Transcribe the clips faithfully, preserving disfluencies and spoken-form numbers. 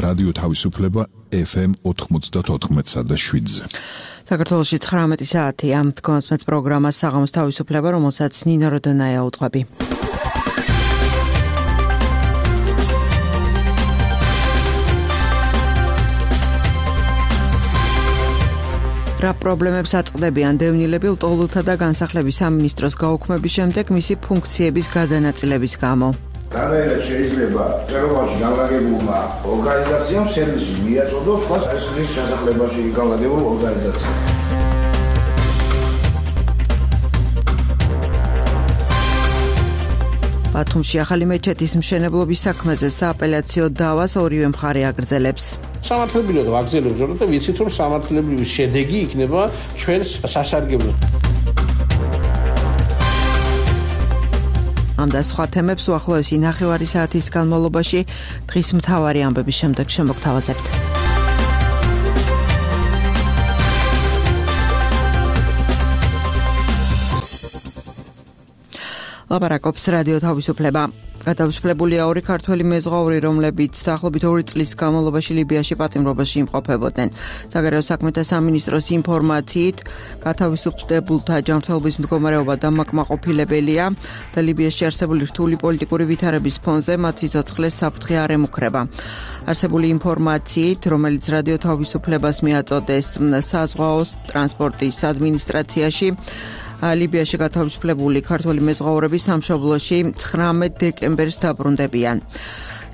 რადიო თავისუფლება ეფ ემ ოთხმოცდაოთხ და შვიდზე. საქართველოში ცხრამეტი საათია. თქვენს პროგრამა საღამოს თავისუფლება, რომელსაც ნინო როდონაია უძღვები. რა პრობლემებს აწყდებიან დევნილები ლტოლვილთა და განსახლების სამინისტროს გაუქმების შემდეგ მისი ფუნქციების გადანაწილების გამო. რანაირად შეიძლება წერობაში განლაგებულმა ორგანიზაციამ სერვისი მიაწოდოს ფასის ჩასახლებაში განლაგებულ ორგანიზაციას. ბათუმში ახალი მეჩეთის მშენებლობის საქმეზე სააპელაციო დავას ორივე მხარე აგრძელებს. სამართლებრივად ვაგრძელებთ ზრდა და ვიცით რომ სამართლებრივი შედეგი იქნება ჩვენს სასარგებლოდ. ამ და სხვა თემებს უახლოესი ნახევარი საათის განმავლობაში დღის მთავარი ამბების შემდეგ შემოგთავაზებთ. ლაპარაკობს რადიო თავისუფლება. გადავსვლებულია ორი ქართველი მეზღვაური, რომლებიც დაახლოებით ორი წლის განმავლობაში ლიბიაში პატიმრობაში იმყოფებოდნენ. საგარეო საქმეთა სამინისტროს ინფორმაციით, გათავისუფლებულთა ჯანმრთელობის მდგომარეობა დამაკმაყოფილებელია და ლიბიაში არსებული რთული პოლიტიკური ვითარების ფონზე მათ სიცოცხლეს საფრთხე არ ემუქრება. არსებული ინფორმაციით, რომელიც რადიო თავისუფლებას მიაწოდეს საზღვაო ტრანსპორტის ადმინისტრაციაში, ლიბიაში გათავისუფლებული ქართველი მეზღვაურები სამშობლოში ცხრამეტ დეკემბერს დაბრუნდებიან.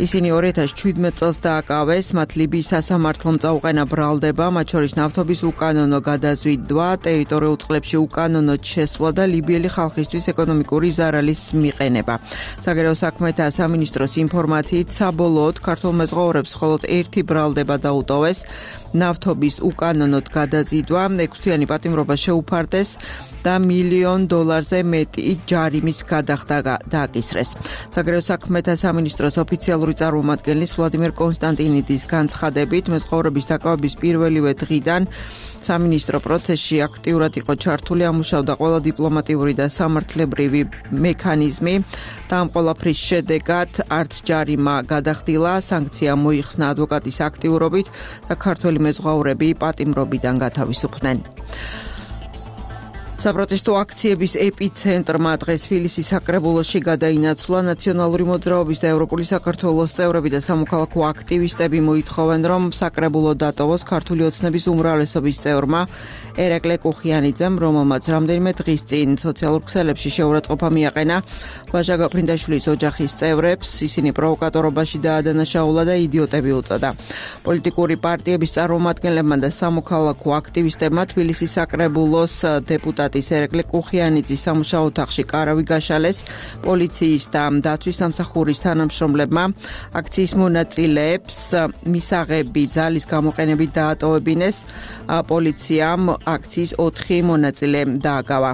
ისინი ორი ათას შვიდმეტ წელს დააკავეს, მათ ლიბიის სასამართლომ წაუყენა ბრალდება, მათ შორის ნავთობის უკანონო გადაზიდვა, ტერიტორიულ წყლებში უკანონო შესვლა და ლიბიელი ხალხისთვის ეკონომიკური ზარალის მიყენება. საგარეო საქმეთა სამინისტროს ინფორმაციით, საბოლოოდ ქართულ მეზღვაურებს მხოლოდ ერთი ბრალდება დაუტოვეს, ნავთობის უკანონოდ გადაზიდვა, ექვსთვიანი პატიმრობა შეუფარდეს და მილიონ დოლარზე მეტი ჯარიმის გადახდა დააკისრეს. საგარეო საქმეთა სამინისტროს ოფიციალური წარმომადგენლის ვლადიმერ კონსტანტინიდის განცხადებით, მეზღვაურების დაკავების პირველივე დღიდან სამინისტრო პროცესში აქტიურად იყო ჩართული, ამუშავდა ყველა დიპლომატიური და სამართლებრივი მექანიზმი და ამ ყველაფრის შედეგად არც ჯარიმა გადახდილა, სანქცია მოიხსნა ადვოკატის აქტიურობით და ქართველი მეზღვაურები პატიმრობიდან გათავისუფლდნენ. საპროტესტო აქციების ეპიცენტრმა დღეს თბილისის საკრებულოში გადაინაცვლა. ნაციონალური მოძრაობის და ევროპული საქართველოს წევრები და სამოქალაქო აქტივისტები მოითხოვენ, რომ საკრებულო დატოვოს ქართული ოცნების უმრავლესობის წევრმა ერეკლე კუხიანიძემ, რომელმაც რამდენიმე დღის წინ სოციალურ ქსელებში შეურაცხყოფა მიაყენა ვაჟა გაფრინდაშვილის ოჯახის წევრებს. ისინი პროვოკატორობაში დაადანაშაულა და იდიოტები უწოდა. პოლიტიკური პარტიების წარმომადგენლებმა და სამოქალაქო აქტივისტებმა თბილისის საკრებულოს დეპუტატ ერეკლე კუხიანიძის სამუშაო ოთახში კარავი გაშალეს. პოლიციის და დაცვის სამსახურის თანამშრომლებმა აქციის მონაწილეებს მისაღები ძალის გამოყენებით დაატოვებინეს. პოლიციამ აქციის ოთხი მონაწილე დააგავა.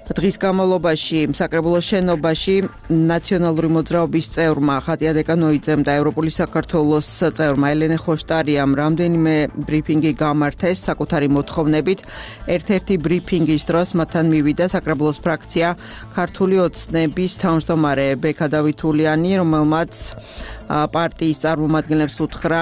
დღის განმავლობაში საკრებულოს შენობაში ნაციონალური მოძრაობის წევრმა ხატია დეკანოიძემ და ევროპული საქართველოს წევრმა ელენე ხოშტარიამ რამდენიმე ბრიფინგი გამართეს საკუთარი მოთხოვნებით. ერთ-ერთი ბრიფინგის დროს მათთან მივიდა საკრებულოს ფრაქცია ქართული ოცნების თავმჯდომარე ბექა დავითულიანი, რომელმაც პარტიის წარმომადგენლებს უთხრა,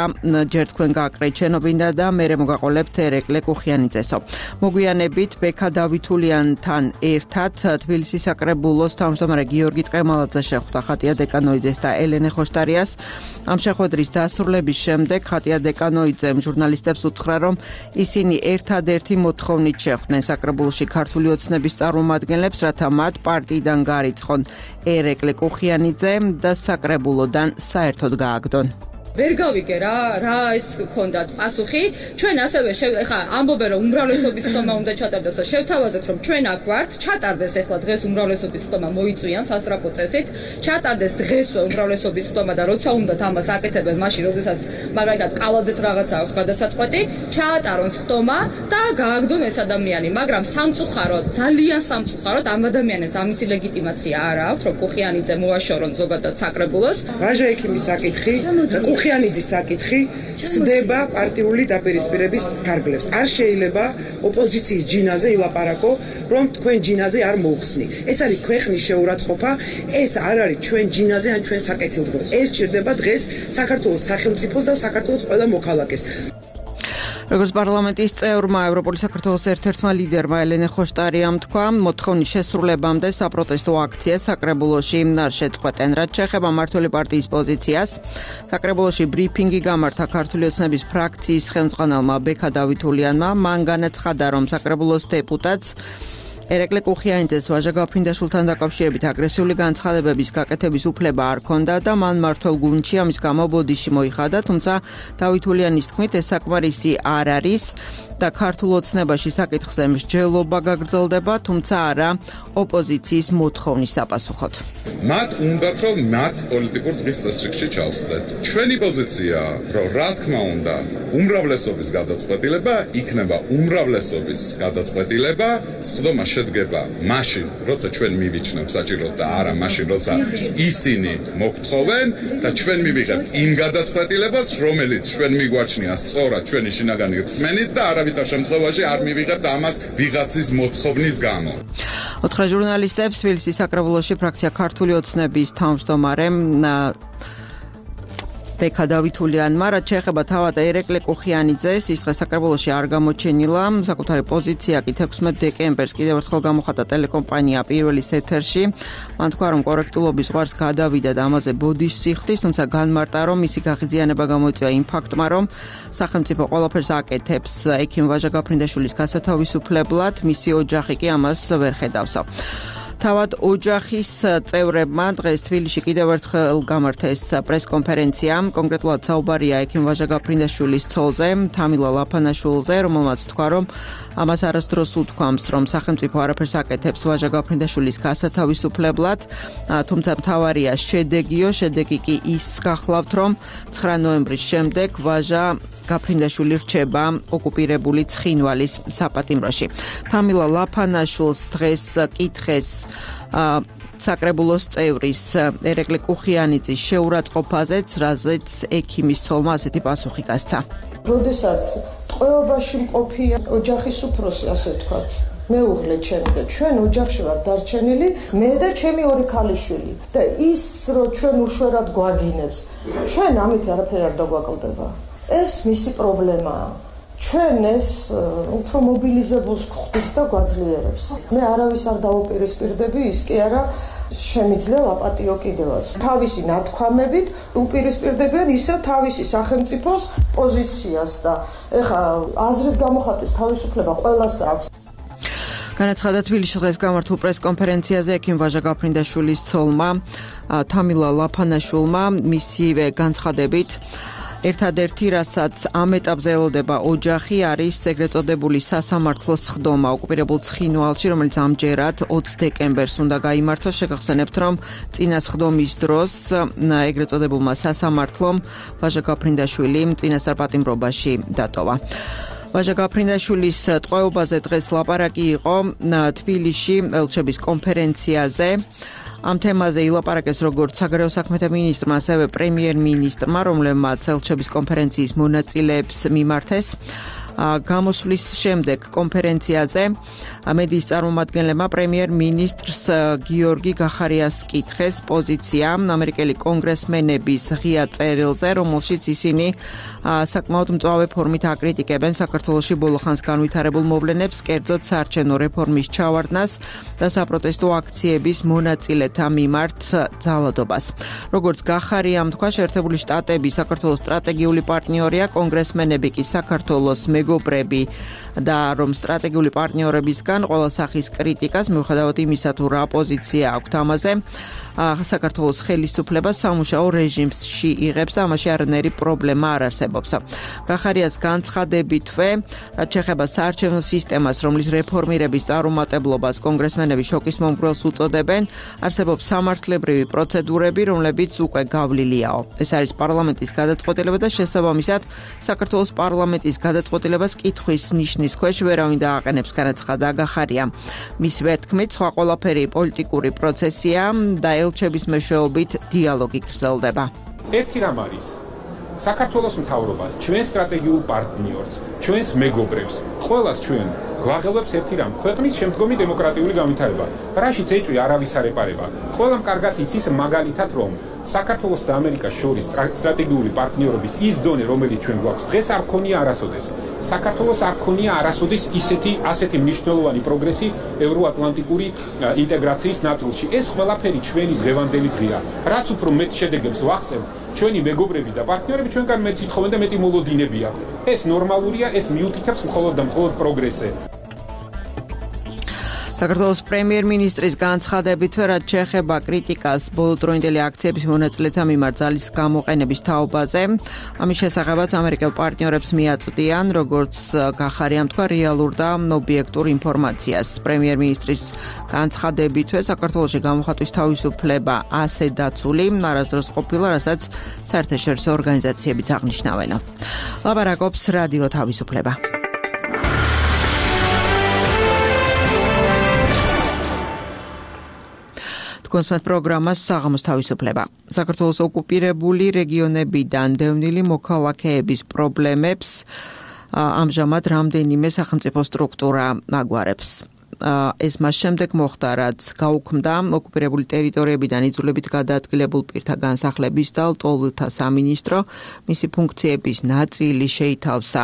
ჯერ თქვენ გააკრეთ შენობიდან და მერე მოგაყოლებთ ერეკლე კუხიანიძესო. მოგვიანებით ბექა დავითულიანთან ერთად თბილისის საკრებულოს თავმჯდომარე გიორგი ტყემალაძე შეხვდა ხატია დეკანოიძეს და ელენე ხოშტარიას. ამ შეხვედრის დასრულების შემდეგ ხატია დეკანოიძემ ჟურნალისტებს უთხრა, რომ ისინი ერთადერთი მოთხოვნით შეხვდნენ საკრებულოში ქართული ოცნების წარმომადგენლებს, რათა მათ პარტიიდან გაარიცხონ ერეკლე კუხიანიძე და საკრებულოდან საერთოდ გააგდონ. ვერ გავიგე რა რა ის გქონდათ პასუხი. ჩვენ ასევე ხა ამბობენ რომ უმრავლესობის ხმა უნდა ჩატარდეს, შევთავაზეთ რომ ჩვენ აქ ვართ, ჩატარდეს ახლა დღეს უმრავლესობის ხმა მოიწვიან სასტრაფო წესით, ჩატარდეს დღესვე უმრავლესობის ხმა და როცა უნდათ ამას აკეთებენ, მაშინ როდესაც მაგალითად ყალაძეს რაღაცა აქვს გადასაწყვეტი, ჩაატარონ ხმა და გააგდონ ეს ადამიანი, მაგრამ სამწუხაროდ, ძალიან სამწუხაროდ ამ ადამიანებს ამისი ლეგიტიმაცია არ აქვს, რომ კუხიანიძე მოაშორონ ზოგადად საკრებულოს. ვაჟა ექიმის საკითხი, კუხი ყუხიანიძის საკითხი ცდება პარტიული დაპირისპირების ფარგლებს. არ შეიძლება ოპოზიციის ჯინაზე ილაპარაკო, რომ თქვენ ჯინაზე არ მოუხსნი. ეს არის ქვეყნის შეურაცხყოფა, ეს არ არის ჩვენ ჯინაზე ან ჩვენ საკეთილდღო. ეს ჭირდება დღეს საქართველოს სახელმწიფოს და საქართველოს ყველა მოქალაქეს. როგორც პარლამენტის წევრმა ევროპული საქართველოს ერთ-ერთმა ლიდერმა ელენე ხოშტარიამ თქვა, მოთხოვნის შესრულებამდე საპროტესტო აქციას საკრებულოში არ შეწყვეტენ. რაც შეეხება მმართველი პარტიის პოზიციას, საკრებულოში ბრიფინგი გამართა ქართული ოცნების ფრაქციის ხელმძღვანელმა ბექა დავითულიანმა, მან განაცხადა, რომ საკრებულოს დეპუტატს ერეკლე ყუხიანიძეს ვაჟა გაფრინდაშვილთან დაკავშირებით აგრესიული განცხადებების გაკეთების უფლება არ ჰქონდა და მან მმართველ გუნდში ამის გამო ბოდიში მოიხადა, თუმცა დავითულიანის თქმით ეს საკმარისი არ არის და ქართულ ოცნებაში საკითხზე მსჯელობა გაგრძელდება, თუმცა არა ოპოზიციის მოთხოვნის საპასუხოდ. მათ უნდათ რომ მათ პოლიტიკურ დღის წესრიგში ჩავსდეთ. ჩვენი პოზიცია, რომ რა თქმა უნდა, უმრავლესობის გადაწყვეტილება იქნება უმრავლესობის გადაწყვეტილება, სხდომა შედგება მაშინ, როცა ჩვენ მივიჩნევთ საჭიროდ და არა მაშინ, როცა ისინი მოგთხოვენ და ჩვენ მივიღებთ იმ გადაწყვეტილებას, რომელიც ჩვენ მიგვაჩნია სწორად ჩვენი შინაგანი რწმენით და არავითარ შემთხვევაში არ მივიღებთ ამას ვიღაცის მოთხოვნის გამო. ოთხრა ჟურნალისტებს თბილისის საკრებულოში ფრაქცია ქართული ოცნების თავმჯდომარემ ბექა დავითულიანმა, რაც შეეხება თავად ერეკლე ყუხიანიძეს, ის დღეს საკრებულოში არ გამოჩენილა. საკუთარი პოზიცია კი თექვსმეტ დეკემბერს კიდევ ერთხელ გამოხატა ტელეკომპანია პირველის ეთერში. მან თქვა, რომ კორექტულობის ზღვარს გადავიდა და ამაზე ბოდიშს იხდის, თუმცა განმარტა, რომ მისი გაღიზიანება გამოიწვია იმ ფაქტმა, რომ სახელმწიფო ყველაფერს აკეთებს ექიმ ვაჟა გაფრინდაშვილის გასათავისუფლებლად, მისი ოჯახი კი ამას ვერ ხედავსო. თავად ოჯახის წევრებმა დღეს თბილისში კიდევ ერთხელ გამართეს პრესკონფერენცია. კონკრეტულად საუბარია ექიმ ვაჟა გაფრინდაშვილის ცოლზე, თამილა ლაფანაშვილზე, რომელმაც თქვა, რომ ამას არასდროს უთქვამს, რომ სახელმწიფო არაფერს აკეთებს ვაჟა გაფრინდაშვილის გასათავისუფლებლად, თუმცა მთავარია შედეგიო, შედეგი კი ის გახლავთ, რომ ცხრა ნოემბრის შემდეგ ვაჟა გაფრინდაშვილი რჩება ოკუპირებული ცხინვალის საპატიმროში. თამილა ლაფანაშვილს დღეს კითხეს საკრებულოს წევრის ერეკლე ყუხიანიძის შეურაცხყოფაზეც, რაზეც ექიმის ცოლმა ასეთი პასუხი გასცა. როდესაც ტყვეობაში მყოფი ოჯახის უფროსი, ასე ვთქვათ, მეუღლე ჩემი და ჩვენ ოჯახში ვარ დარჩენილი, მე და ჩემი ორი ქალიშვილი და ის რომ ჩვენ უშუალოდ გვაგინებს, ჩვენ ამით არაფერი არ დაგვაკლდება. ეს მისი პრობლემაა. ჩვენ ეს უფრო მობილიზებულს გვხდის და გვაძლიერებს. მე არავის არ დავუპირისპირდები, ის კი არა შემიძლია აპატიო კიდევაც. თავისი ნათქვამებით უპირისპირდებიან ისევ თავისი სახელმწიფოს პოზიციას და ეხა აზრის გამოხატვის თავისუფლება ყველას აქვს. განაცხადა თბილისში დღეს გამართულ პრესკონფერენციაზე ექიმ ვაჟა გაფრინდაშვილის ცოლმა თამილა ლაფანაშვილმა, მისივე განცხადებით ერთადერთი, რასაც ამ ეტაპზე ელოდება ოჯახი, არის ეგრეთ წოდებული სასამართლოს სხდომა ოკუპირებულ ცხინვალში, რომელიც ამჯერად ოცი დეკემბერს უნდა გაიმართოს. შეგახსენებთ, რომ წინა სხდომის დროს ეგრეთ წოდებულმა სასამართლომ ვაჟა გაფრინდაშვილი წინასწარ პატიმრობაში დატოვა. ვაჟა გაფრინდაშვილის ტყვეობაზე დღეს ლაპარაკი იყო თბილისში ელჩების კონფერენციაზე. ამ თემაზე ილაპარაკეს როგორც საგარეო საქმეთა მინისტრმა, ასევე პრემიერ-მინისტრმა, რომლებმაც ელჩების კონფერენციის მონაწილეებს მიმართეს. გამოსვლის შემდეგ კონფერენციაზე მედიის წარმომადგენლებმა პრემიერ-მინისტრს გიორგი გახარიას კითხეს პოზიცია ამერიკელი კონგრესმენების ღია წერილზე, რომელშიც ისინი საკმაოდ მწვავე ფორმით აკრიტიკებენ საქართველოში ბოლოხანს განვითარებულ მოვლენებს, კერძოდ საარჩევნო რეფორმის ჩავარდნას და საპროტესტო აქციების მონაწილეთა მიმართ ძალადობას. როგორც გახარიამ თქვა, შეერთებული შტატები საქართველოს სტრატეგიული პარტნიორია, კონგრესმენები კი საქართველოს მეგობრები და რომ სტრატეგიული პარტნიორებისგან ყველა სახის კრიტიკას მიუხედავად იმისა, თუ რა პოზიცია აქვთ ამაზე, საქართველოს ხელისუფლება სამუშაო რეჟიმში იღებს და ამაში არანაირი პრობლემა არ არსებობს. გახარიას განცხადებითვე, რაც შეეხება საარჩევნო სისტემას, რომლის რეფორმირების წარუმატებლობას კონგრესმენები შოკის მომგვრელს უწოდებენ, არსებობს სამართლებრივი პროცედურები, რომლებიც უკვე გავლილიაო. ეს არის პარლამენტის გადაწყვეტილება და შესაბამისად საქართველოს პარლამენტის გადაწყვეტილებას კითხვის ნიშნის ქვეშ ვერავინ დააყენებს, განაცხადა გახარია. მისივე თქმით, სხვა ყველაფერი პოლიტიკური პროცესია და ელჩების მეშვეობით დიალოგი გრძელდება. ერთი რამ არის, საქართველოს მთავრობას, ჩვენ სტრატეგიულ პარტნიორს, ჩვენს მეგობრებს, ყველას ჩვენ გვაღელვებს ერთი რამ, ქვეყნის შემდგომი დემოკრატიული განვითარება. რაშიც ეჭვი არავის არ ეპარება. ყველამ კარგად იცის მაგალითად, რომ საქართველოს და ამერიკას შორის სტრატეგიული პარტნიორობის ის დონე, რომელიც ჩვენ გვაქვს, დღეს არ ქონია არასოდეს. საქართველოს არ ქონია არასოდეს ისეთი ასეთი მნიშვნელოვანი პროგრესი ევროატლანტიკური ინტეგრაციის ნაწილში. ეს ყველაფერი ჩვენი დღევანდელი დღეა. რაც უფრო მეტ შედეგებს ვახცევთ, ჩვენი მეგობრები და პარტნიორები ჩვენგან მეც ითხოვენ და მეტი მოლოდინები აქვს. ეს ნორმალურია, ეს მიუთითებს მხოლოდ და მხოლოდ პროგრესზე. საქართველოს პრემიერ-მინისტრის განცხადებით, რაც შეეხება კრიტიკას ბოლოდროინდელი აქციების მონაწილეთა მიმართ ძალის გამოყენების თაობაზე, ამის შესახებაც ამერიკელ პარტნიორებს მიაწვდიან, როგორც გახარიამ თქვა, რეალურ და ობიექტურ ინფორმაციას. პრემიერ-მინისტრის განცხადებითვე საქართველოში გამოხატვის თავისუფლება ასე დაცული არასდროს ყოფილა, რასაც საერთაშორისო ორგანიზაციებიც აღნიშნავენ. ლაპარაკობს რადიო თავისუფლება. კონსმეთ პროგრამას საღამოს თავისუფლება. საქართველოს ოკუპირებული რეგიონებიდან დევნილი მოქალაქეების პრობლემებს ამჟამად რამდენიმე სახელმწიფო სტრუქტურა აგვარებს. ეს მას შემდეგ მოხდა, რაც გაუქმდა ოკუპირებული ტერიტორიებიდან იძულებით გადაადგილებულ პირთა განსახლების და ლტოლვილთა სამინისტრო. მისი ფუნქციების ნაწილი შეითავსა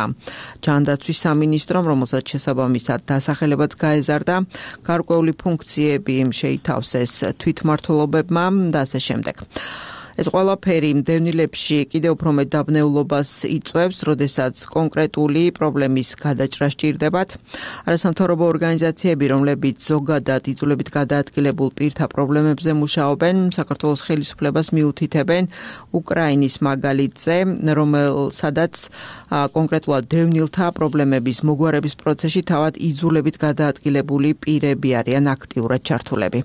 ჯანდაცვის სამინისტრომ, რომელსაც შესაბამისად დასახელებაც გაეზარდა. გარკვეული ფუნქციები შეითავსეს თვითმმართველობებმა და ასე შემდეგ. ეს ყველაფერი დევნილებში კიდევ უფრო მეტ დაბნეულობას იწვევს, როდესაც კონკრეტული პრობლემის გადაჭრა სჭირდებათ. არასამთავრობო ორგანიზაციები, რომლებიც ზოგადად იძულებით გადაადგილებულ პირთა პრობლემებზე მუშაობენ, საქართველოს ხელისუფლებას მიუთითებენ უკრაინის მაგალითზე, რომელსადაც კონკრეტულად დევნილთა პრობლემების მოგვარების პროცესში თავად იძულებით გადაადგილებული პირები არიან აქტიურად ჩართულები.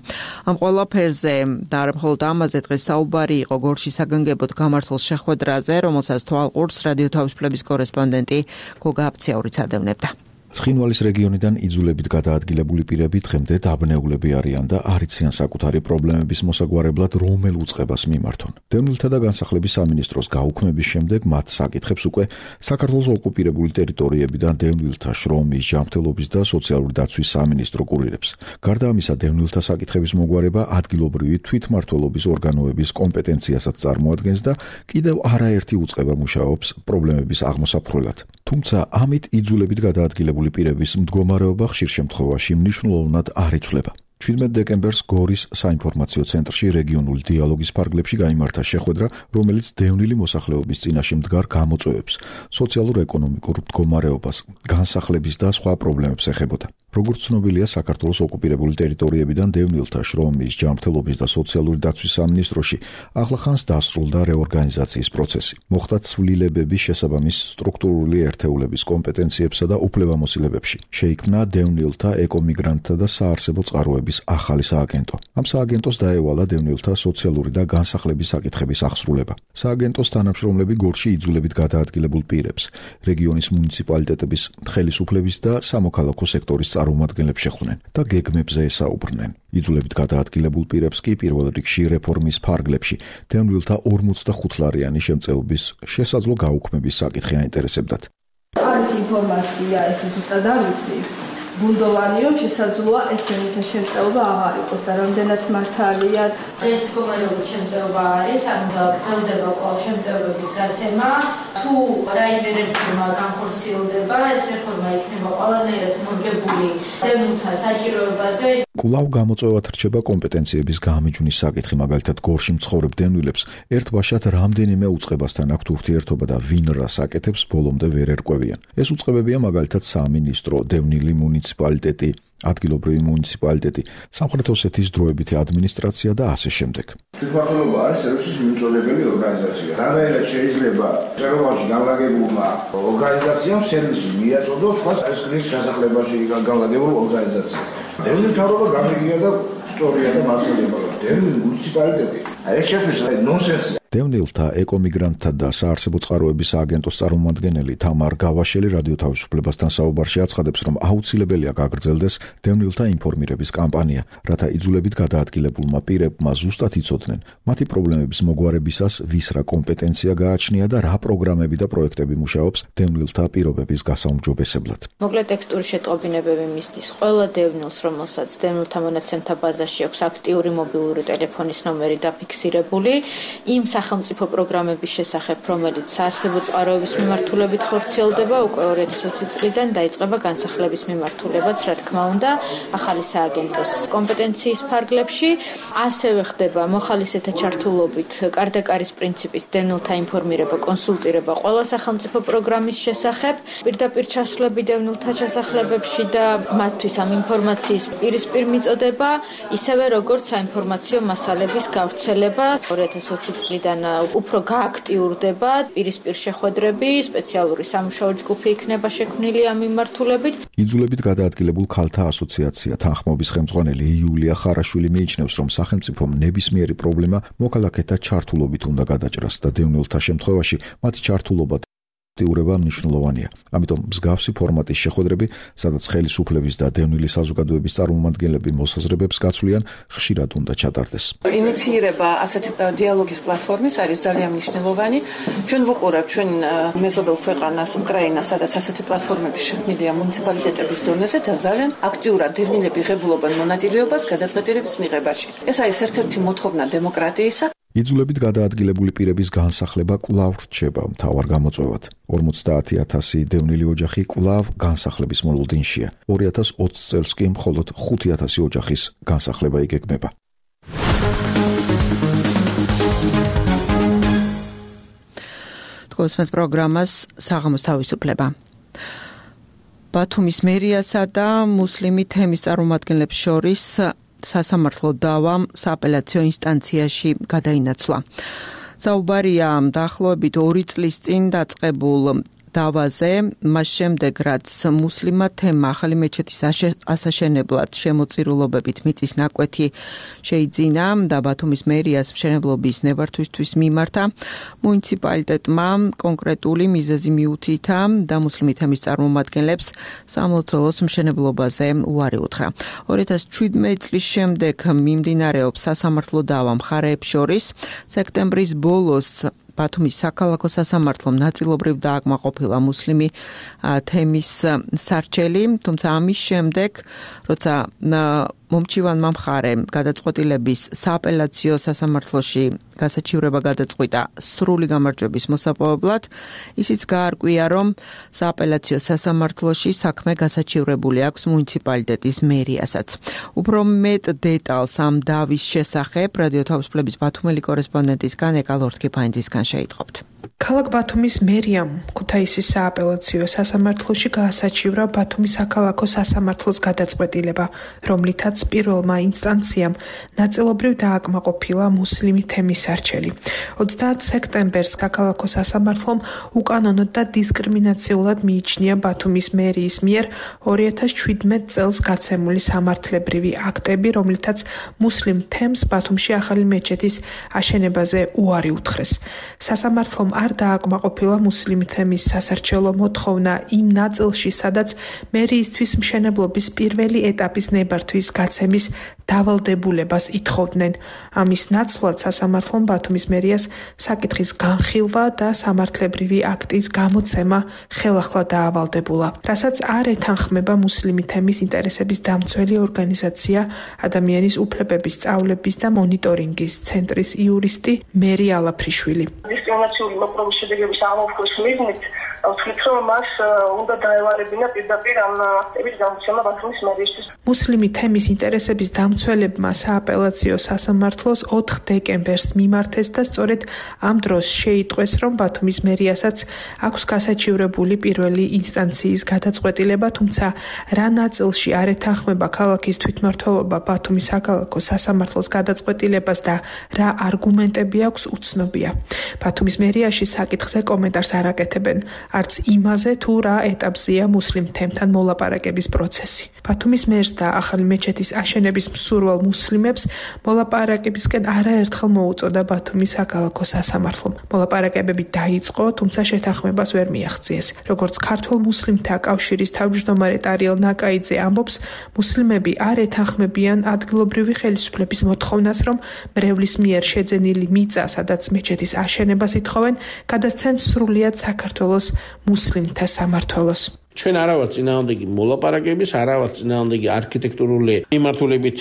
ამ ყველაფერზე და არა მხოლოდ ამაზე დღეს საუბარი იყო გორში საგანგებოდ გამართულ შეხვედრაზე, რომელსაც თვალყურს რადიო თავისუფლების კორესპონდენტი გოგა აფციაურიც ადევნებდა. ცხინვალის რეგიონიდან იძულებით გადაადგილებული პირები დღემდე დაბნეულები არიან და არ იციან საკუთარი პრობლემების მოსაგვარებლად რომელ უწყებას მიმართონ. დევნილთა და განსახლების სამინისტროს გაუქმების შემდეგ მათ საკითხებს უკვე საქართველოს ოკუპირებული ტერიტორიებიდან დევნილთა შრომის, ჯანმრთელობის და სოციალური დაცვის სამინისტრო კურირებს. გარდა ამისა, დევნილთა საკითხების მოგვარება ადგილობრივი თვითმმართველობის ორგანოების კომპეტენციასაც წარმოადგენს და კიდევ არაერთი უწყება მუშაობს პრობლემების აღმოსაფხვრელად. თუმცა ამით იძულებით გადაადგილებული პირების მდგომარეობა ხშირ შემთხვევაში მნიშვნელოვნად არ იცვლება. ჩვიდმეტ დეკემბერს გორის საინფორმაციო ცენტრში რეგიონული დიალოგის ფარგლებში გაიმართა შეხვედრა, რომელიც დევნილი მოსახლეობის წინაშე მდგარ გამოწვევებს, სოციალურ-ეკონომიკურ მდგომარეობას, განსახლების და სხვა პრობლემებს ეხებოდა. როგორც ცნობილია, საქართველოს ოკუპირებული ტერიტორიებიდან დევნილთა შრომის, ჯანმრთელობის და სოციალური დაცვის სამინისტროში ახლახანს დასრულდა რეორგანიზაციის პროცესი. მოხდა ცვლილებების შესაბამის სტრუქტურული ერთეულების კომპეტენციებსა და უფლებამოსილებებში. შეიქმნა დევნილთა, ეკომიგრანტთა და საარსებო წყაროების ახალი სააგენტო. ამ სააგენტოს დაევალა დევნილთა სოციალური და განსახლების საკითხების აღსრულება. სააგენტოს თანამშრომლები გორში იძულებით გადაადგილებულ პირებს, რეგიონის მუნიციპალიტეტების ხელისუფლების და სამოქალაქო სექტორის წარმომადგენლებს შეხვდნენ და გეგმებზე ესაუბრნენ. იძულებით გადაადგილებულ პირებს კი პირველ რიგში რეფორმის ფარგლებში დევნილთა ორმოცდახუთლარიანი შემწეობის შესაძლო გაუქმების საკითხი აინტერესებდათ. არის ინფორმაცია, ეს ზუსტად არ ვიცი. ბუნდოვანიო შესაძლოა ეს დევნილთა შემწეობა აღარ იყოს და რამდენად მართალია. ეს მდგომარეობის შემწეობა არის, ანუ გრძელდება კვლავ შემწეობების გაცემა. თუ რაიმე რეფორმა განხორციელდება, ეს რეფორმა იქნება ყველანაირად მორგებული დევნილთა საჭიროებაზე. კვლავ გამოწვევად რჩება კომპეტენციების გამიჯვნის საკითხი, მაგალითად გორში მცხოვრებ დევნილებს ერთბაშად რამდენიმე უწყებასთან აქვთ ურთიერთობა და ვინ რას აკეთებს ბოლომდე ვერ ერკვევიან. ეს უწყებებია მაგალითად სამინისტრო, დევნილი მუნიციპალიტეტი, ადგილობრივი მუნიციპალიტეტი, სამხრეთ ოსეთის დროებითი ადმინისტრაცია და ასე შემდეგ. თვითმმართველობა არის სერვისის მიმწოდებელი ორგანიზაცია. რანაირად შეიძლება წერობაში განლაგებულმა ორგანიზაციამ სერვისი მიაწოდოს ხას ესკრის ჩასახლებაში განლაგებულ ორგანიზაციას. დევნილთა მთავრობა გამიგია და სწორია და მართალია, მაგრამ დევნილი მუნიციპალიტეტი აი ეს შეფერს ნონსენსია. დევნილთა ეკომიგრანტთა და საარსებო წყაროების სააგენტოს წარმომადგენელი თამარ გავაშელი რადიო თავისუფლებასთან საუბარში აცხადებს, რომ აუცილებელია გაგრძელდეს დევნილთა ინფორმირების კამპანია, რათა იძულებით გადაადგილებულმა პირებმა ზუსტად იცოდნენ მათი პრობლემების მოგვარებისას ვის რა კომპეტენცია გააჩნია და რა პროგრამები და პროექტები მუშაობს დევნილთა პირობების გასაუმჯობესებლად. მოკლედ ტექსტური შეტყობინებები მისდის ყველა დევნილს, რომელსაც დევნილთა მონაცემთა ბაზაში აქვს აქტიური მობილური ტელეფონის ნომერი დაფიქსირებული, იმ სახელმწიფო პროგრამების შესახებ, რომელიც საარსებო წყაროების მიმართულებით ხორციელდება, უკვე ორი ათი ოცი წლიდან დაიწყება განსახლების მიმართულებაც, რა თქმა უნდა, ახალი სააგენტოს კომპეტენციის ფარგლებში. ასევე ხდება მოხალისეთა ჩართულობით კარდაკარის პრინციპით დევნილთა ინფორმირება, კონსულტირება ყველა სახელმწიფო პროგრამის შესახებ, პირდაპირ ჩასვლები დევნილთა ჩასახლებებში და მათთვის ამ ინფორმაციის პირისპირ მიწოდება, ისევე როგორც საინფორმაციო მასალების გავრცელება ორი ათი ოცი წლიდან უფრო გააქტიურდება პირისპირ შეხვედრები, სპეციალური სამუშაო ჯგუფი იქნება შექმნილი ამ მიმართულებით. იძულებით გადაადგილებულ ქალთა ასოციაცია თანხმობის ხელმძღვანელი იულია ხარაშვილი მიიჩნევს, რომ სახელმწიფომ ნებისმიერი პრობლემა მოქალაქეთა ჩართულობით უნდა გადაჭრას და დევნილთა შემთხვევაში მათი ჩართულობა აქტიურება მნიშვნელოვანია. ამიტომ მსგავსი ფორმატის შეხვედრები, სადაც ხელისუფლების და დევნილი საზოგადოების წარმომადგენლები მოსაზრებებს გაცვლიან, ხშირად უნდა ჩატარდეს. ინიცირება ასეთი დიალოგის პლატფორმის არის ძალიან მნიშვნელოვანი. ჩვენ ვუყურებთ ჩვენ მეზობელ ქვეყანას უკრაინას, სადაც ასეთი პლატფორმები შექმნილია მუნიციპალიტეტების დონეზე და ძალიან აქტიურად დევნილები ღებულობენ მონაწილეობას გადაწყვეტილების მიღებაში. ეს არის ერთ-ერთი მოთხოვნა დემოკრატიისა. იძულებით გადაადგილებული პირების განსახლება კვლავ რჩება მთავარ გამოწვევად. ორმოცდაათი ათასი დევნილი ოჯახი კვლავ განსახლების მოლოდინშია. ორი ათას ოცი წელს კი მხოლოდ ხუთი ათასი ოჯახის განსახლება იგეგმება. თქვენს პროგრამას საღამოს თავისუფლება. ბათუმის მერიასა და მუსლიმი თემის წარმომადგენლებს შორის სასამართლო დავა სააპელაციო ინსტანციაში გადაინაცვლა. საუბარია დაახლოებით ორი წლის წინ დაწყებულ დავაზე, მას შემდეგ რაც მუსლიმმა თემმა ახალი მეჩეთის ასაშენებლად შემოწირულობებით მიწის ნაკვეთი შეიძინა და ბათუმის მერიას მშენებლობის ნებართვისთვის მიმართა, მუნიციპალიტეტმა კონკრეტული მიზეზი მიუთითა და მუსლიმი თემის წარმომადგენლებს სამლოცველოს მშენებლობაზე უარი უთხრა. ორი ათას შვიდმეტი წლის შემდეგ მიმდინარეობს სასამართლო დავა მხარეებს შორის. სექტემბრის ბოლოს ბათუმის საქალაქო სასამართლომ ნაწილობრივ დააკმაყოფილა მუსლიმი თემის სარჩელი, თუმცა ამის შემდეგ, როცა მომჩივანმა მხარემ გადაწყვეტილების სააპელაციო სასამართლოში გასაჩივრება გადაწყვიტა სრული გამარჯვების მოსაპოვებლად, ისიც გაარკვია, რომ სააპელაციო სასამართლოში საქმე გასაჩივრებული აქვს მუნიციპალიტეტის მერიასაც. უფრო მეტ დეტალს ამ დავის შესახებ რადიო თავისუფლების ბათუმელი კორესპონდენტისგან ეკალ ორთქიფანიძისგან შეიტყობთ. ქალაქ ბათუმის მერიამ ქუთაისის სააპელაციო სასამართლოში გაასაჩივრა ბათუმის საქალაქო სასამართლოს გადაწყვეტილება, რომლითაც პირველმა ინსტანციამ ნაწილობრივ დააკმაყოფილა მუსლიმი თემის სარჩელი. ოცდაათი სექტემბერს საქალაქო სასამართლომ უკანონოდ და დისკრიმინაციულად მიიჩნია ბათუმის მერიის მიერ ორი ათას შვიდმეტი წელს გაცემული სამართლებრივი აქტები, რომლითაც მუსლიმ თემს ბათუმში ახალი მეჩეთის აშენებაზე უარი უთხრეს. სასამართლომ არ დააკმაყოფილა მუსლიმი თემის სასარჩელო მოთხოვნა იმ ნაწილში, სადაც მერიისთვის მშენებლობის პირველი ეტაპის ნებართვის გაცემის დავალდებულებას ითხოვდნენ. ამის ნაცვლად სასამართლომ ბათუმის მერიას საკითხის განხილვა და სამართლებრივი აქტის გამოცემა ხელახლა დაავალდებულა, რასაც არ ეთანხმება მუსლიმი თემის ინტერესების დამცველი ორგანიზაცია ადამიანის უფლებების სწავლების და მონიტორინგის ცენტრის იურისტი მერი ალაფრიშვილი. დისკრიმინაციული მოპყრობის შედეგების აღმოფხვის მიზნით ვთქვით, რომ მას უნდა დაევალებინა პირდაპირ ამ აქტების გამოცემა ბათუმის მერიისთვის. მუსლიმი თემის ინტერესების დამცველებმა სააპელაციო სასამართლოს ოთხ დეკემბერს მიმართეს და სწორედ ამ დროს შეიტყვეს, რომ ბათუმის მერიასაც აქვს გასაჩივრებული პირველი ინსტანციის გადაწყვეტილება, თუმცა რა ნაწილში არ ეთანხმება ქალაქის თვითმმართველობა ბათუმის საქალაქო სასამართლოს გადაწყვეტილებას და რა არგუმენტები აქვს, უცნობია. ბათუმის მერიაში საკითხზე კომენტარს არ აკეთებენ, არც იმაზე თუ რა ეტაპზეა მუსლიმ თემთან მოლაპარაკების პროცესი. ბათუმის მერს და ახალი მეჩეთის აშენების მსურვალ მუსლიმებს მოლაპარაკებისკენ არაერთხელ მოუწოდა ბათუმის საქალაქო სასამართლომ. მოლაპარაკებები დაიწყო, თუმცა შეთანხმებას ვერ მიაღწიეს. როგორც ქართველ მუსლიმთა კავშირის თავმჯდომარე ტარიელ ნაკაიძე ამბობს, მუსლიმები არ ეთანხმებიან ადგილობრივი ხელისუფლების მოთხოვნას, რომ მრევლის მიერ შეძენილი მიწა, სადაც მეჩეთის აშენებას ითხოვენ, გადასცენ სრულიად საქართველოს მუსლიმთა სამმართველოს. ჩვენ არა ვართ წინააღმდეგი მოლაპარაკების, არა ვართ წინააღმდეგი არქიტექტურული მიმართულებით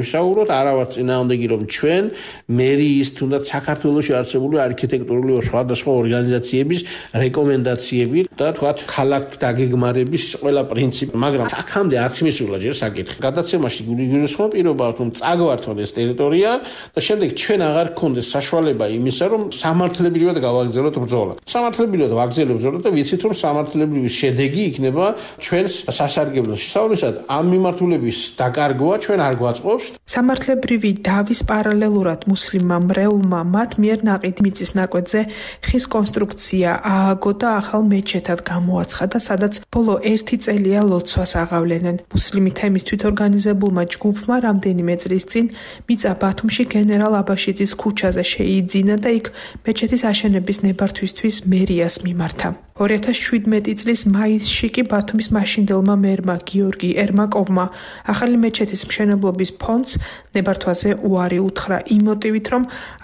ვისაუბროთ, არა ვართ წინააღმდეგი რომ ჩვენ მერიის თუნდაც საქართველოში არსებული არქიტექტურული სხვადასხვა ორგანიზაციების რეკომენდაციები და თქვათ ქალაქ დაგეგმარების ყველა პრინციპი, მაგრამ აქამდე არც მისულა ჯერ საკითხი. გადაცემაში გულისხმობ პირობა რომ წაგვართონ ეს ტერიტორია და შემდეგ ჩვენ აღარ გქონდეს საშუალება იმისა, რომ სამართლებრივად გავაგრძელოთ ბრძოლა. სამართლებრივად ვაგრძელებთ ბრძოლა და ვიცით რომ სამართლებრივი შედეგი იქნება ჩვენს სასარგებლო. შესაბამისად, ამ მიმართულების დაკარგვა ჩვენ არ გვაწყობს. სამართლებრივი დავის პარალელურად მუსლიმმა მრევლმა მათ მიერ ნაყიდი მიწის ნაკვეთზე ხის კონსტრუქცია ააგო და ახალ მეჩეთად გამოაცხადა, სადაც ბოლო ერთი წელია ლოცვას აღავლენენ. მუსლიმი თემის თვითორგანიზებულმა ჯგუფმა რამდენიმე წლის წინ მიწა ბათუმში გენერალ აბაშიძის ქუჩაზე შეიძინა და იქ მეჩეთის აშენების ნებართვისთვის მერიას მიმართა. ორი ათას შვიდმეტი წლის მაისში კი ბათუმის მაშინდელმა მერმა გიორგი ერმაკოვმა ახალი მეჩეთის მშენებლობის ფონდს ნებართვაზე უარი უთხრა იმ მოტივით, რომ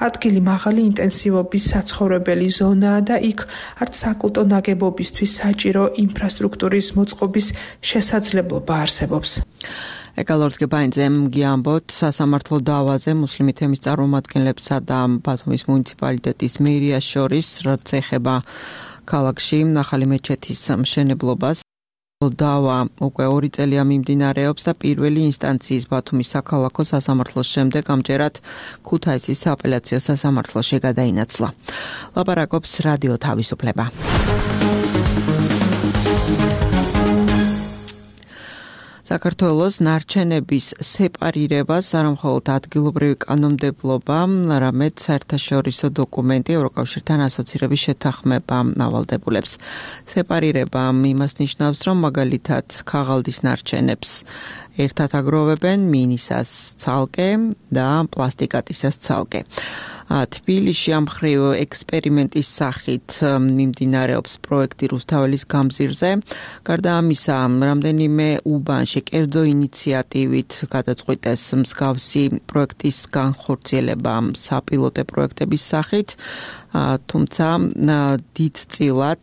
ადგილი მაღალი ინტენსივობის საცხოვრებელი ზონაა და იქ არც საკულტო ნაგებობისთვის საჭირო ინფრასტრუქტურის მოწყობის შესაძლებლობა არსებობს. ეკალორდ გებაინძემ გიამბოთ სასამართლო დავაზე მუსლიმი თემის წარმომადგენლებსა და ბათუმის მუნიციპალიტეტის მერიას შორის, რაც ეხება ქალაქში ახალი მეჩეთის მშენებლობას. დავა უკვე ორი წელია მიმდინარეობს და პირველი ინსტანციის ბათუმის საქალაქო სასამართლოს შემდეგ ამჯერად ქუთაისის სააპელაციო სასამართლოში გადაინაცვლა. ლაპარაკობს რადიო თავისუფლება. საქართველოს ნარჩენების სეპარირებას არა მხოლოდ ადგილობრივი კანონმდებლობა, არამედ საერთაშორისო დოკუმენტი ევროკავშირთან ასოცირების შეთანხმება ავალდებულებს. სეპარირება იმას ნიშნავს, რომ მაგალითად ქაღალდის ნარჩენებს ერთად აგროვებენ მინისას ცალკე და პლასტიკატისას ცალკე. თბილისში ამ მხრივ ექსპერიმენტის სახით მიმდინარეობს პროექტი რუსთაველის გამზირზე. გარდა ამისა, რამდენიმე უბანში კერძო ინიციატივით გადაწყვიტეს მსგავსი პროექტის განხორციელება საპილოტე პროექტების სახით, თუმცა დიდწილად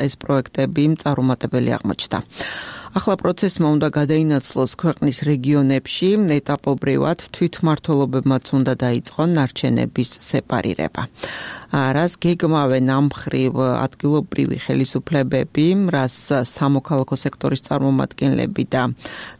ეს პროექტები წარუმატებელი აღმოჩნდა. ახლა პროცესმა უნდა გადაინაცვლოს ქვეყნის რეგიონებში, ეტაპობრივად თვითმმართველობებმაც უნდა დაიწყონ ნარჩენების სეპარირება. რას გეგმავენ ამ მხრივ ადგილობრივი ხელისუფლებები, რას სამოქალაქო სექტორის წარმომადგენლები და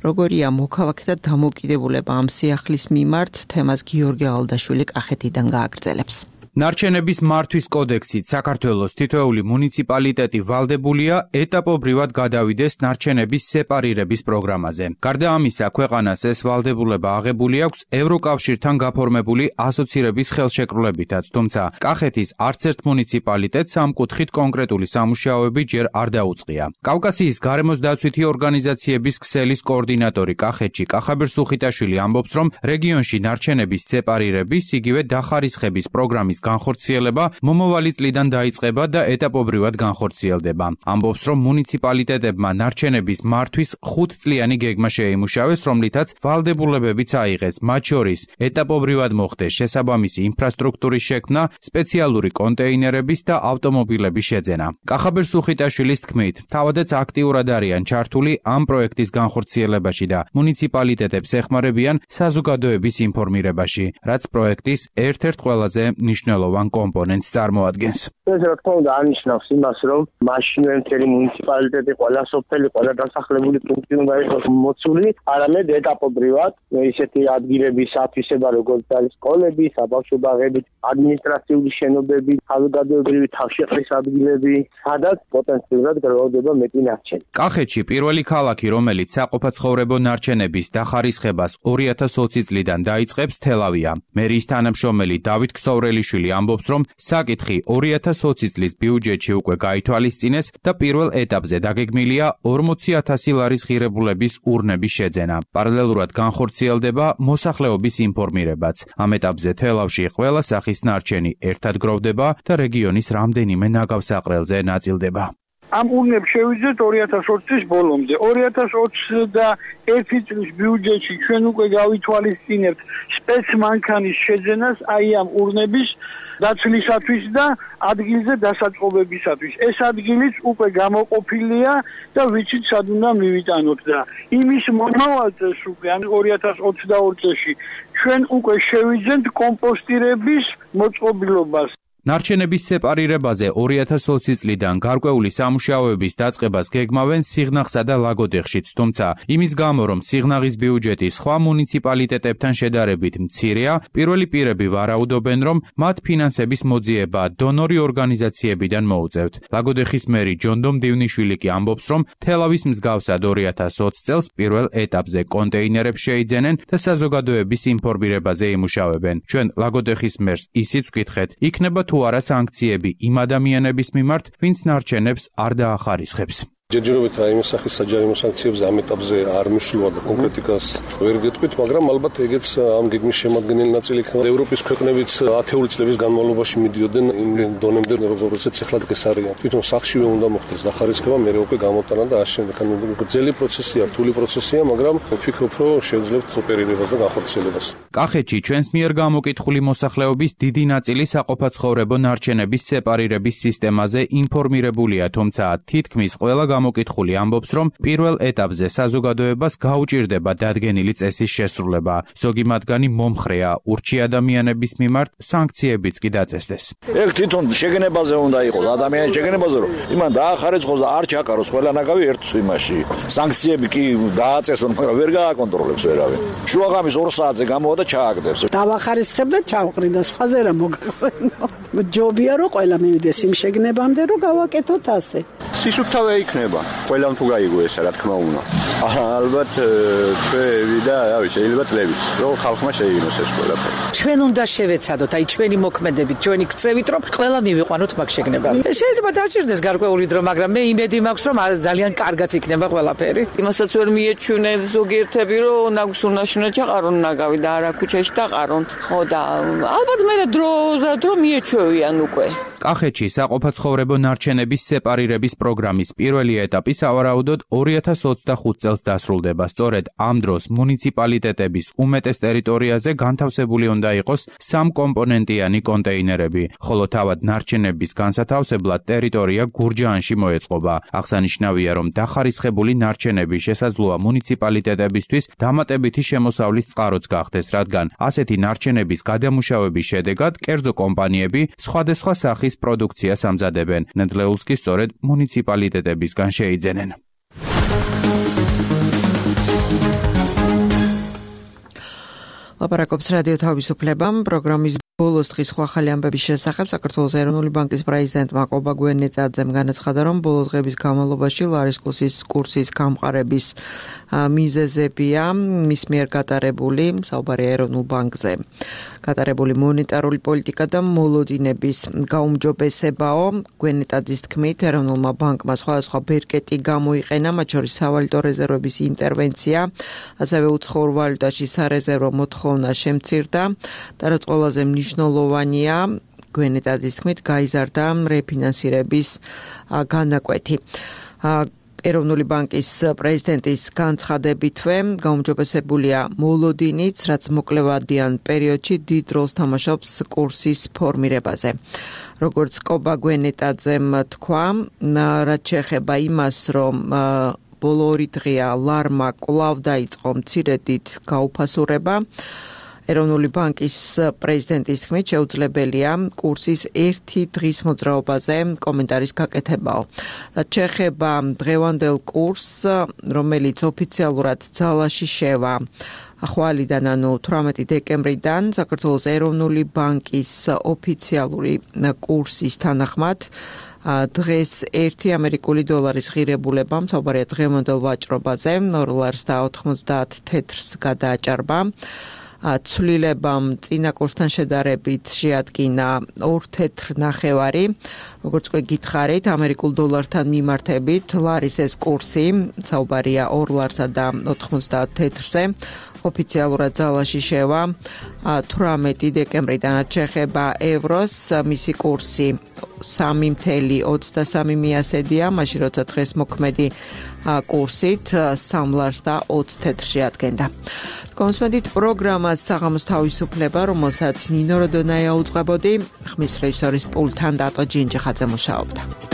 როგორია მოქალაქეთა დამოკიდებულება ამ სიახლის მიმართ, თემას გიორგი ალდაშვილი კახეთიდან გააგრძელებს. ნარჩენების მართვის კოდექსით საქართველოს თითოეული მუნიციპალიტეტი ვალდებულია ეტაპობრივად გადავიდეს ნარჩენების სეპარირების პროგრამაზე. გარდა ამისა, ქვეყანას ეს ვალდებულება აღებული აქვს ევროკავშირთან გაფორმებული ასოცირების ხელშეკრულებითაც, თუმცა კახეთის არც ერთ მუნიციპალიტეტს ამ კუთხით კონკრეტული სამუშაოები ჯერ არ დაუწყია. კავკასიის გარემოს დაცვითი ორგანიზაციების ქსელის კოორდინატორი კახეთში კახაბერ სუხიტაშვილი ამბობს, რომ რეგიონში ნარჩენების სეპარირების, იგივე დახარისხების პროგრამის განხორციელება მომავალი წლიდან დაიწყება და ეტაპობრივად განხორციელდება. ამბობს, რომ მუნიციპალიტეტებმა ნარჩენების მართვის ხუთწლიანი გეგმა შეიმუშავეს, რომლითაც ვალდებულებებიც აიღეს, მათ შორის ეტაპობრივად მოხდეს შესაბამისი ინფრასტრუქტურის შექმნა, სპეციალური კონტეინერების და ავტომობილების შეძენა. კახაბერ სუხიტაშვილის თქმით, თავადაც აქტიურად არიან ჩართული ამ პროექტის განხორციელებაში და მუნიციპალიტეტებს ეხმარებიან საზოგადოების ინფორმირებაში, რაც პროექტის ერთ-ერთ ყველაზე მნიშვნელოვან კომპონენტს წარმოადგენს. ეს რა თქმა უნდა ანიშნავს იმას, რომ მაშინვე მთელი მუნიციპალიტეტი, ყველა სოფელი, ყველა დასახლებული პუნქტი უნდა იყოს მოცული, არამედ ეტაპობრივად ისეთი ადგილების ათვისება, როგორც არის სკოლები, საბავშვო ბაღები, ადმინისტრაციული შენობები, საზოგადოებრივი თავშეყრის ადგილები, სადაც პოტენციურად გროვდება მეტი ნარჩენი. კახეთში პირველი ქალაქი, რომელიც საყოფაცხოვრებო ნარჩენების დახარისხებას ორი ათას ოცი წლიდან დაიწყებს, თელავია. მერიის თანამშრომელი დავით ქსოვრელიშვილი მაკობაგველი ამბობს, რომ საკითხი ორი ათას ოცი წლის ბიუჯეტში უკვე გაითვალისწინეს და პირველ ეტაპზე დაგეგმილია ორმოცი ათასი ლარის ღირებულების ურნების შეძენა. პარალელურად განხორციელდება მოსახლეობის ინფორმირებაც. ამ ეტაპზე თელავში ყველა სახის ნარჩენი ერთად გროვდება და რეგიონის რამდენიმე ნაგავსაყრელზე ნაწილდება. ამ ურნებს შევიძეთ ორი ათას ოცი წლის ბოლომდე. ორი ათას ოცდაერთი წლის ბიუჯეტში ჩვენ უკვე გავითვალისწინებთ სპეცმანქანის შეძენას აი ამ ურნების დაცლისათვის და ადგილზე დასაწყობებისათვის. ეს ადგილიც უკვე გამოყოფილია და ვიცით სად უნდა მივიტანოთ და იმის მომავალწელს უკვე ამ ორი ათას ოცდაორი წელში ჩვენ უკვე შევიძენთ კომპოსტირების მოწყობილობას. ნარჩენების სეპარირებაზე ორი ათას ოცი წლიდან გარკვეული სამუშაოების დაწყებას გეგმავენ სიღნაღსა და ლაგოდეხშიც, თუმცა იმის გამო, რომ სიღნაღის ბიუჯეტი სხვა მუნიციპალიტეტებთან შედარებით მცირეა, პირველი პირები ვარაუდობენ, რომ მათ ფინანსების მოძიება დონორი ორგანიზაციებიდან მოუწევთ. ლაგოდეხის მერი ჯონდომ დივნიშვილი კი ამბობს, რომ თელავის მსგავსად ორი ათას ოცი წელს პირველ ეტაპზე კონტეინერებს შეიძენენ და საზოგადოების ინფორმირებაზე იმუშავებენ. ჩვენ ლაგოდეხის მერს ისიც ვკითხეთ, იქნება თუ არა სანქციები იმ ადამიანების მიმართ, ვინც ნარჩენებს არ დაახარისხებს. ჯერჯერობით აი იმ სახის საჯარიმო სანქციებზე ამ ეტაპზე არ მისვლა და კონკრეტიკას ვერ გეტყვით, მაგრამ ალბათ ეგეც ამ გეგმის შემადგენელი ნაწილი იქნება. ევროპის ქვეყნებიც ათეული წლების განმავლობაში მიდიოდნენ იმ დონემდე, როგორცაც ეხლა დღეს არის. თვითონ სახშივე უნდა მოხდეს დახარისხება, მე უკვე გამოტანა და ამ შემდეგ ანუ გრძელი პროცესია, რთული პროცესია, მაგრამ ვფიქრობ, რომ შევძლებთ ოპერირებას და განხორციელებას. კახეთში ჩვენს მიერ გამოკითხული მოსახლეობის დიდი ნაწილი საყოფაცხოვრებო ნარჩენების სეპარირების სისტემაზე ინფორმირებულია, თუმცა თითქმის ყველა გამოკითხული ამბობს, რომ პირველ ეტაპზე საზოგადოებას გაუჭირდება დადგენილი წესის შესრულება. ზოგი მათგანი მომხრეა, ურჩი ადამიანების მიმართ სანქციებიც კი დაწესდეს. ეგ თვითონ შეგნებაზე უნდა იყოს, ადამიანის შეგნებაზე, რომ იმან დაახარისხოს და არ ჩაყაროს ყველა ნაგავი ერთ იმაში. სანქციები კი დააწესონ, მაგრამ ვერ გააკონტროლებს ვერავინ. შუაღამის ორ საათზე გამოვა და ჩააგდებს. დავახარისხებ და ჩავყრი და სხვაზე რა მოგახსენო. ჯობია რომ ყველა მივიდეს იმ შეგნებამდე, რომ გავაკეთოთ ასე. სისუფთავე იქნება, ყველამ თუ გაიგო ესა, რა თქმა უნდა. ალბათ ჩვენი და რავი, შეიძლება წლებიც, რომ ხალხმა შეიგნოს ეს ყველაფერი. ჩვენ უნდა შევეცადოთ, აი ჩვენი მოქმედებით, ჩვენი ქცევით, რომ ყველა მივიყვანოთ მაგ შეგნებამდე. შეიძლება დაჭირდეს გარკვეული დრო, მაგრამ მე იმედი მაქვს, რომ ძალიან კარგად იქნება ყველაფერი. იმასაც ვერ მიეჩვენენ ზოგიერთები, რომ ნაგვის უნაშუნა ჩაყარონ ნაგავი და არა ქუჩაში დაყარონ. ხო და ალბათ მე დრო დრო მიეჩვევიან უკვე. კახეთში საყოფაცხოვრებო ნარჩენების სეპარირების პროგრამის პირველი ეტაპი სავარაუდოდ ორი ათას ოცდახუთი წელს დასრულდება. სწორედ ამ დროს მუნიციპალიტეტების უმეტეს ტერიტორიაზე განთავსებული უნდა იყოს სამკომპონენტიანი კონტეინერები, ხოლო თავად ნარჩენების განსათავსებლად ტერიტორია გურჯაანში მოეწყობა. აღსანიშნავია, რომ დახარისხებული ნარჩენები შესაძლოა მუნიციპალიტეტებისთვის დამატებითი შემოსავლის წყაროც გახდეს, რადგან ასეთი ნარჩენების გადამუშავების შედეგად კერძო კომპანიები სხვადასხვა სახის პროდუქციას ამზადებენ. ნედლეულს კი სწორედ მუნიციპალიტეტებისგან შეიძენენ. ლაპარაკობს რადიო თავისუფლება პროგრამის ბოლოს დღის სხვა ახალი ამბების შესახებ საქართველოს ეროვნული ბანკის პრეზიდენტმა ყობაგვენეტაძემ განაცხადა, რომ ბოლო დღების განმავლობაში ლარის კურსის კურსის გამყარების მიზეზებია მის მიერ გატარებული საუბარია ეროვნულ ბანკზე. გატარებული მონეტარული პოლიტიკა და მოლოდინების გაუმჯობესებაო. გვენეტაძის თქმით, ეროვნულმა ბანკმა სხვადასხვა ბერკეტი გამოიყენა, მათ შორის სავალუტო რეზერვების ინტერვენცია, ასევე უცხოურ ვალუტაში სარეზერვო მოთხოვნა შემცირდა და რაც ყველაზე მნიშვნელოვანია, გვენეტაძის თქმით, გაიზარდა რეფინანსირების განაკვეთი. ეროვნული ბანკის პრეზიდენტის განცხადებითვე გაუმჯობესებულია მოლოდინიც, რაც მოკლევადიან პერიოდში დიდ როლს თამაშობს კურსის ფორმირებაზე. როგორც ყობაგვენეტაძემ თქვა, რაც შეეხება იმას, რომ ბოლო ორი დღეა ლარმა კვლავ დაიწყო მცირედით გაუფასურება, ეროვნული ბანკის პრეზიდენტის თქმით შეუძლებელია კურსის ერთი დღის მოძრაობაზე კომენტარის გაკეთებაო. რაც შეეხება დღევანდელ კურსს, რომელიც ოფიციალურად ძალაში შევა ახვალიდან, ანუ თვრამეტი დეკემბრიდან, საქართველოს ეროვნული ბანკის ოფიციალური კურსის თანახმად დღეს ერთი ამერიკული დოლარის ღირებულება, საუბარია დღევანდელ ვაჭრობაზე, ორ ლარს და ოთხმოცდაათ თეთრს გადააჭარბა. ცვლილებამ წინა კურსთან შედარებით შეადგინა ორ თეთრ ნახევარი. როგორც უკვე გითხარით, ამერიკულ დოლართან მიმართებით ლარის ეს კურსი საუბარია ორ ლარსა და ოთხმოცდაათ თეთრზე. ოფიციალურად ძალაში შევა თვრამეტი დეკემბრიდან ჩეხება ევროს, მისი კურსი სამი ოცდაათი ოცდასამი, მაშინ როცა დღეს მოქმედი კურსით სამ ლარს და ოცი თეთრში ადგენდა. კონსმედით პროგრამას საღამოს თავისუფლება, რომელსაც ნინო როდონაია უძღვებოდი, ხმის რეჟისორის პულტთან დატო ჯინჯიხაძე მუშაობდა.